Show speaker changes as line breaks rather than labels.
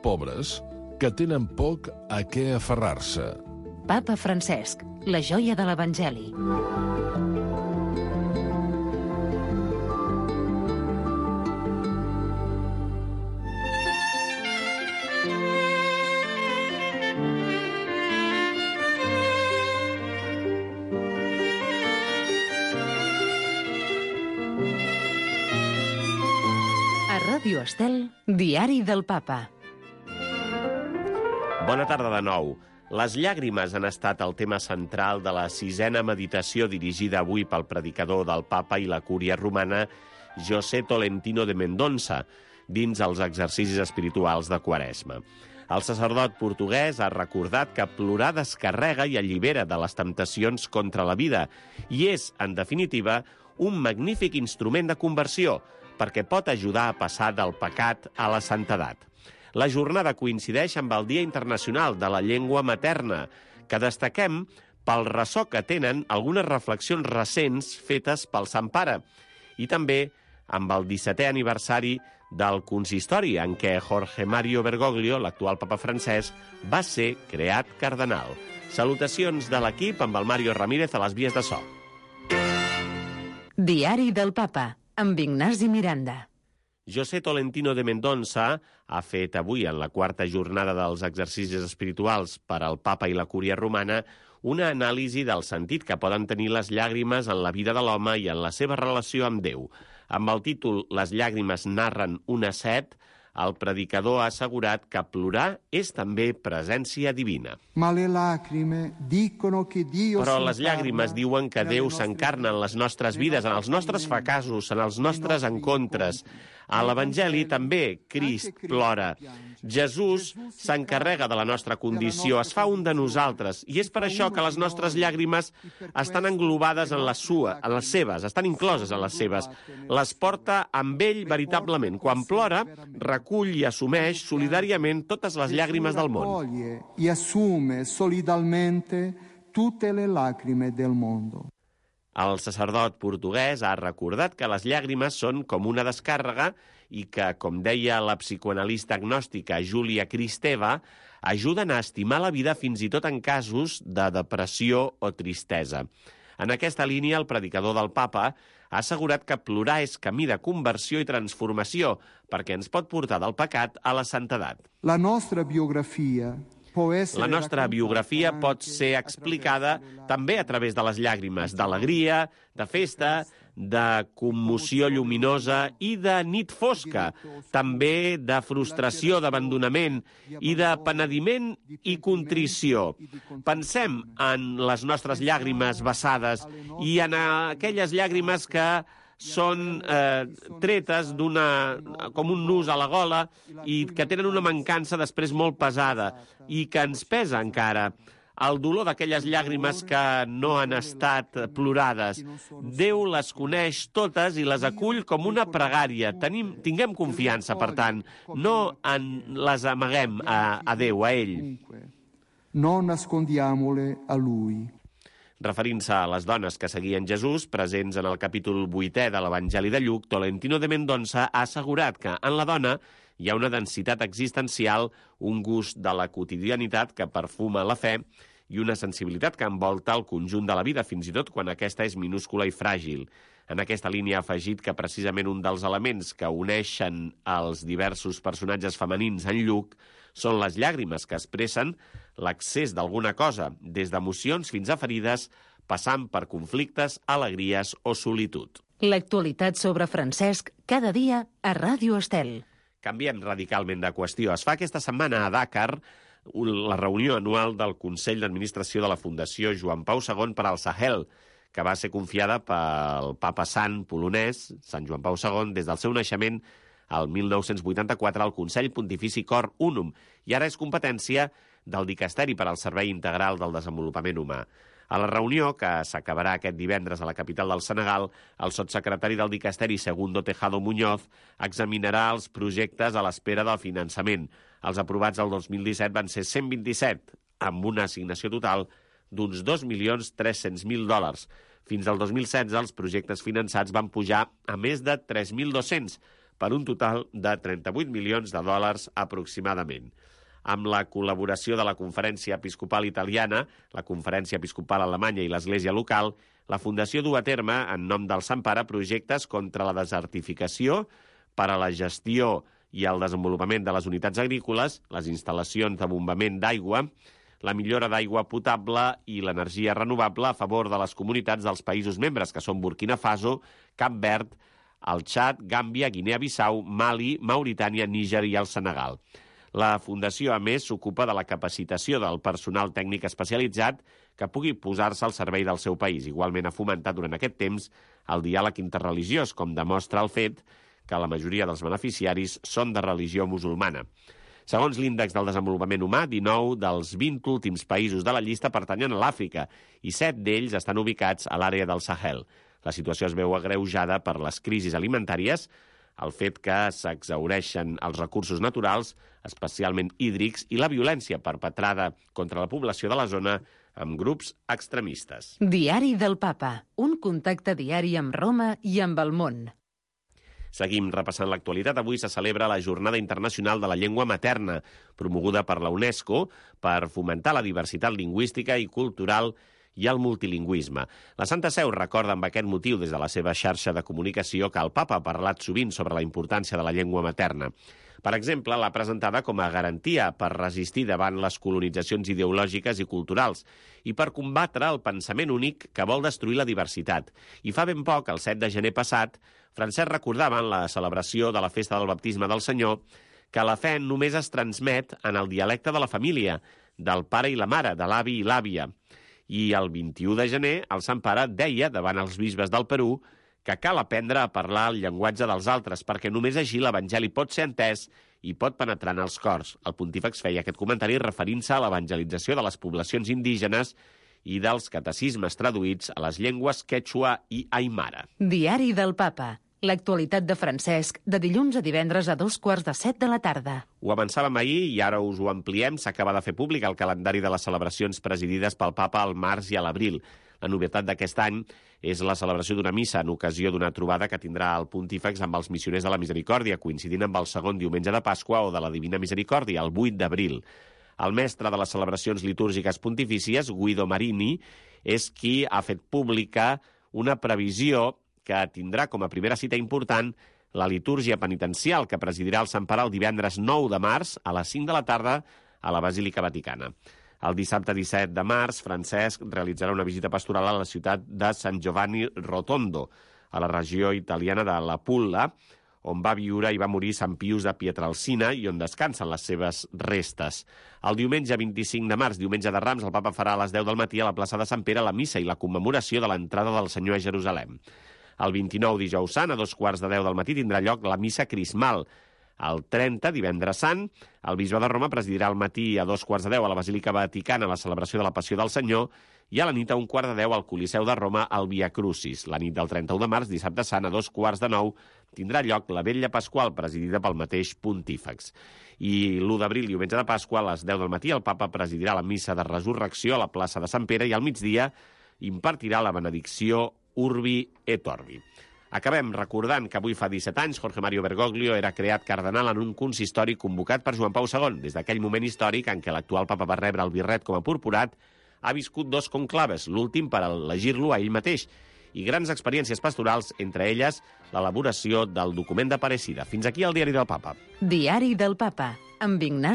pobres que tenen poc a què aferrar-se.
Papa Francesc, la joia de l'Evangeli. A Ràdio Estel, Diari del Papa.
Bona tarda de nou. Les llàgrimes han estat el tema central de la 6a meditació dirigida avui pel predicador del Papa i la Cúria Romana, José Tolentino de Mendonça, dins els exercicis espirituals de Quaresma. El sacerdot portuguès ha recordat que plorar descarrega i allibera de les temptacions contra la vida i és, en definitiva, un magnífic instrument de conversió perquè pot ajudar a passar del pecat a la santedat. La jornada coincideix amb el Dia Internacional de la Llengua Materna, que destaquem pel ressò que tenen algunes reflexions recents fetes pel Sant Pare, i també amb el 17è aniversari del consistori en què Jorge Mario Bergoglio, l'actual papa francès, va ser creat cardenal. Salutacions de l'equip amb el Mario Ramírez a les vies de so.
Diari del Papa, amb Ignasi Miranda.
José Tolentino de Mendonça ha fet avui, en la 4a jornada dels exercicis espirituals per al Papa i la Cúria Romana, una anàlisi del sentit que poden tenir les llàgrimes en la vida de l'home i en la seva relació amb Déu. Amb el títol «Les llàgrimes narren una set», el predicador ha assegurat que plorar és també presència divina. Però les llàgrimes diuen que Déu s'encarna en les nostres vides, en els nostres fracassos, en els nostres encontres. A l'Evangeli també Crist plora. Jesús s'encarrega de la nostra condició, es fa un de nosaltres, i és per això que les nostres llàgrimes estan englobades en les seves, estan incloses en les seves. Les porta amb ell veritablement. Quan plora, recull i assumeix solidàriament totes les llàgrimes del món.
I assume solidalmente tutte le lacrime del mondo.
El sacerdot portuguès ha recordat que les llàgrimes són com una descàrrega i que, com deia la psicoanalista agnòstica Júlia Kristeva, ajuden a estimar la vida fins i tot en casos de depressió o tristesa. En aquesta línia, el predicador del Papa ha assegurat que plorar és camí de conversió i transformació perquè ens pot portar del pecat a la santedat.
La nostra biografia
pot ser explicada també a través de les llàgrimes, d'alegria, de festa, de commoció lluminosa i de nit fosca, també de frustració, d'abandonament i de penediment i contrició. Pensem en les nostres llàgrimes vessades i en aquelles llàgrimes que són tretes com un nus a la gola i que tenen una mancança després molt pesada i que ens pesa encara. El dolor d'aquelles llàgrimes que no han estat plorades. Déu les coneix totes i les acull com una pregària. Tinguem confiança, per tant. No les amaguem a Déu, a ell.
No nascondiamole a Lui.
Referint-se a les dones que seguien Jesús, presents en el capítol 8è de l'Evangeli de Lluc, Tolentino de Mendonça ha assegurat que en la dona hi ha una densitat existencial, un gust de la quotidianitat que perfuma la fe i una sensibilitat que envolta el conjunt de la vida, fins i tot quan aquesta és minúscula i fràgil. En aquesta línia ha afegit que precisament un dels elements que uneixen els diversos personatges femenins en Lluc són les llàgrimes que expressen l'accés d'alguna cosa, des d'emocions fins a ferides, passant per conflictes, alegries o solitud.
L'actualitat sobre Francesc, cada dia a Ràdio Estel.
Canviem radicalment de qüestió. Es fa aquesta setmana a Dakar la reunió anual del Consell d'Administració de la Fundació Joan Pau II per al Sahel, que va ser confiada pel papa sant polonès, Sant Joan Pau II, des del seu naixement el 1984 al Consell Pontifici Cor Unum, i ara és competència del Dicasteri per al Servei Integral del Desenvolupament Humà. A la reunió, que s'acabarà aquest divendres a la capital del Senegal, el sotssecretari del Dicasteri, Segundo Tejado Muñoz, examinarà els projectes a l'espera del finançament. Els aprovats el 2017 van ser 127, amb una assignació total d'uns $2.300.000. Fins al 2016, els projectes finançats van pujar a més de 3.200, per un total de 38 milions de dòlars aproximadament. Amb la col·laboració de la Conferència Episcopal Italiana, la Conferència Episcopal Alemanya i l'Església local, la Fundació du a terme, en nom del Sant Pare, projectes contra la desertificació, per a la gestió i el desenvolupament de les unitats agrícoles, les instal·lacions de bombament d'aigua, la millora d'aigua potable i l'energia renovable a favor de les comunitats dels països membres, que són Burkina Faso, Cap Verd, el Txad, Gàmbia, Guinea-Bissau, Mali, Mauritània, Níger i el Senegal. La Fundació, a més, s'ocupa de la capacitació del personal tècnic especialitzat que pugui posar-se al servei del seu país. Igualment ha fomentat durant aquest temps el diàleg interreligiós, com demostra el fet que la majoria dels beneficiaris són de religió musulmana. Segons l'Índex del Desenvolupament Humà, 19 dels 20 últims països de la llista pertanyen a l'Àfrica i 7 d'ells estan ubicats a l'àrea del Sahel. La situació es veu agreujada per les crisis alimentàries, el fet que s'exhaureixen els recursos naturals, especialment hídrics, i la violència perpetrada contra la població de la zona amb grups extremistes.
Diari del Papa, un contacte diari amb Roma i amb el món.
Seguim repassant l'actualitat. Avui se celebra la Jornada Internacional de la Llengua Materna, promoguda per la UNESCO per fomentar la diversitat lingüística i cultural i el multilingüisme. La Santa Seu recorda amb aquest motiu des de la seva xarxa de comunicació que el Papa ha parlat sovint sobre la importància de la llengua materna. Per exemple, l'ha presentada com a garantia per resistir davant les colonitzacions ideològiques i culturals i per combatre el pensament únic que vol destruir la diversitat. I fa ben poc, el 7 de gener passat, Francesc recordava en la celebració de la festa del baptisme del Senyor que la fe només es transmet en el dialecte de la família, del pare i la mare, de l'avi i l'àvia. I el 21 de gener, el Sant Pare deia davant els bisbes del Perú que cal aprendre a parlar el llenguatge dels altres, perquè només així l'Evangeli pot ser entès i pot penetrar en els cors. El pontífex feia aquest comentari referint-se a l'evangelització de les poblacions indígenes i dels catecismes traduïts a les llengües quechua i aimara.
Diari del Papa. L'actualitat de Francesc, de dilluns a divendres a 2:15 de la tarda.
Ho avançàvem ahir i ara us ho ampliem. S'acaba de fer públic el calendari de les celebracions presidides pel Papa al març i a l'abril. La novetat d'aquest any és la celebració d'una missa en ocasió d'una trobada que tindrà el pontífex amb els missioners de la Misericòrdia, coincidint amb el segon diumenge de Pasqua o de la Divina Misericòrdia, el 8 d'abril. El mestre de les celebracions litúrgiques pontifícies, Guido Marini, és qui ha fet pública una previsió que tindrà com a primera cita important la litúrgia penitencial que presidirà el Sant Pare el divendres 9 de març a les 5 de la tarda a la Basílica Vaticana. El dissabte 17 de març, Francesc realitzarà una visita pastoral a la ciutat de San Giovanni Rotondo, a la regió italiana de la Pulla, on va viure i va morir Sant Pius de Pietrelcina i on descansen les seves restes. El diumenge 25 de març, diumenge de Rams, el Papa farà a les 10 del matí a la plaça de Sant Pere la missa i la commemoració de l'entrada del Senyor a Jerusalem. El 29, dijous sant, a 2:15 del matí, tindrà lloc la missa crismal. El 30, divendres sant, el bisbe de Roma presidirà al matí a 2:15 a la Basílica Vaticana la celebració de la Passió del Senyor i a la nit a 1:15 al Coliseu de Roma el Via Crucis. La nit del 31 de març, dissabte sant, a 8:45, tindrà lloc la Vetlla Pasqual, presidida pel mateix pontífex. I l'1 d'abril, diumenge de Pasqua, a les 10 del matí, el Papa presidirà la missa de resurrecció a la plaça de Sant Pere i al migdia impartirà la benedicció Urbi et Orbi. Acabem recordant que avui fa 17 anys Jorge Mario Bergoglio era creat cardenal en un consistori convocat per Joan Pau II. Des d'aquell moment històric en què l'actual papa va rebre el birret com a purpurat, ha viscut 2 conclaves, l'últim per elegir-lo a ell mateix, i grans experiències pastorals, entre elles l'elaboració del document d'Aparecida. Fins aquí el Diari del Papa.
Diari del Papa, amb Ignasi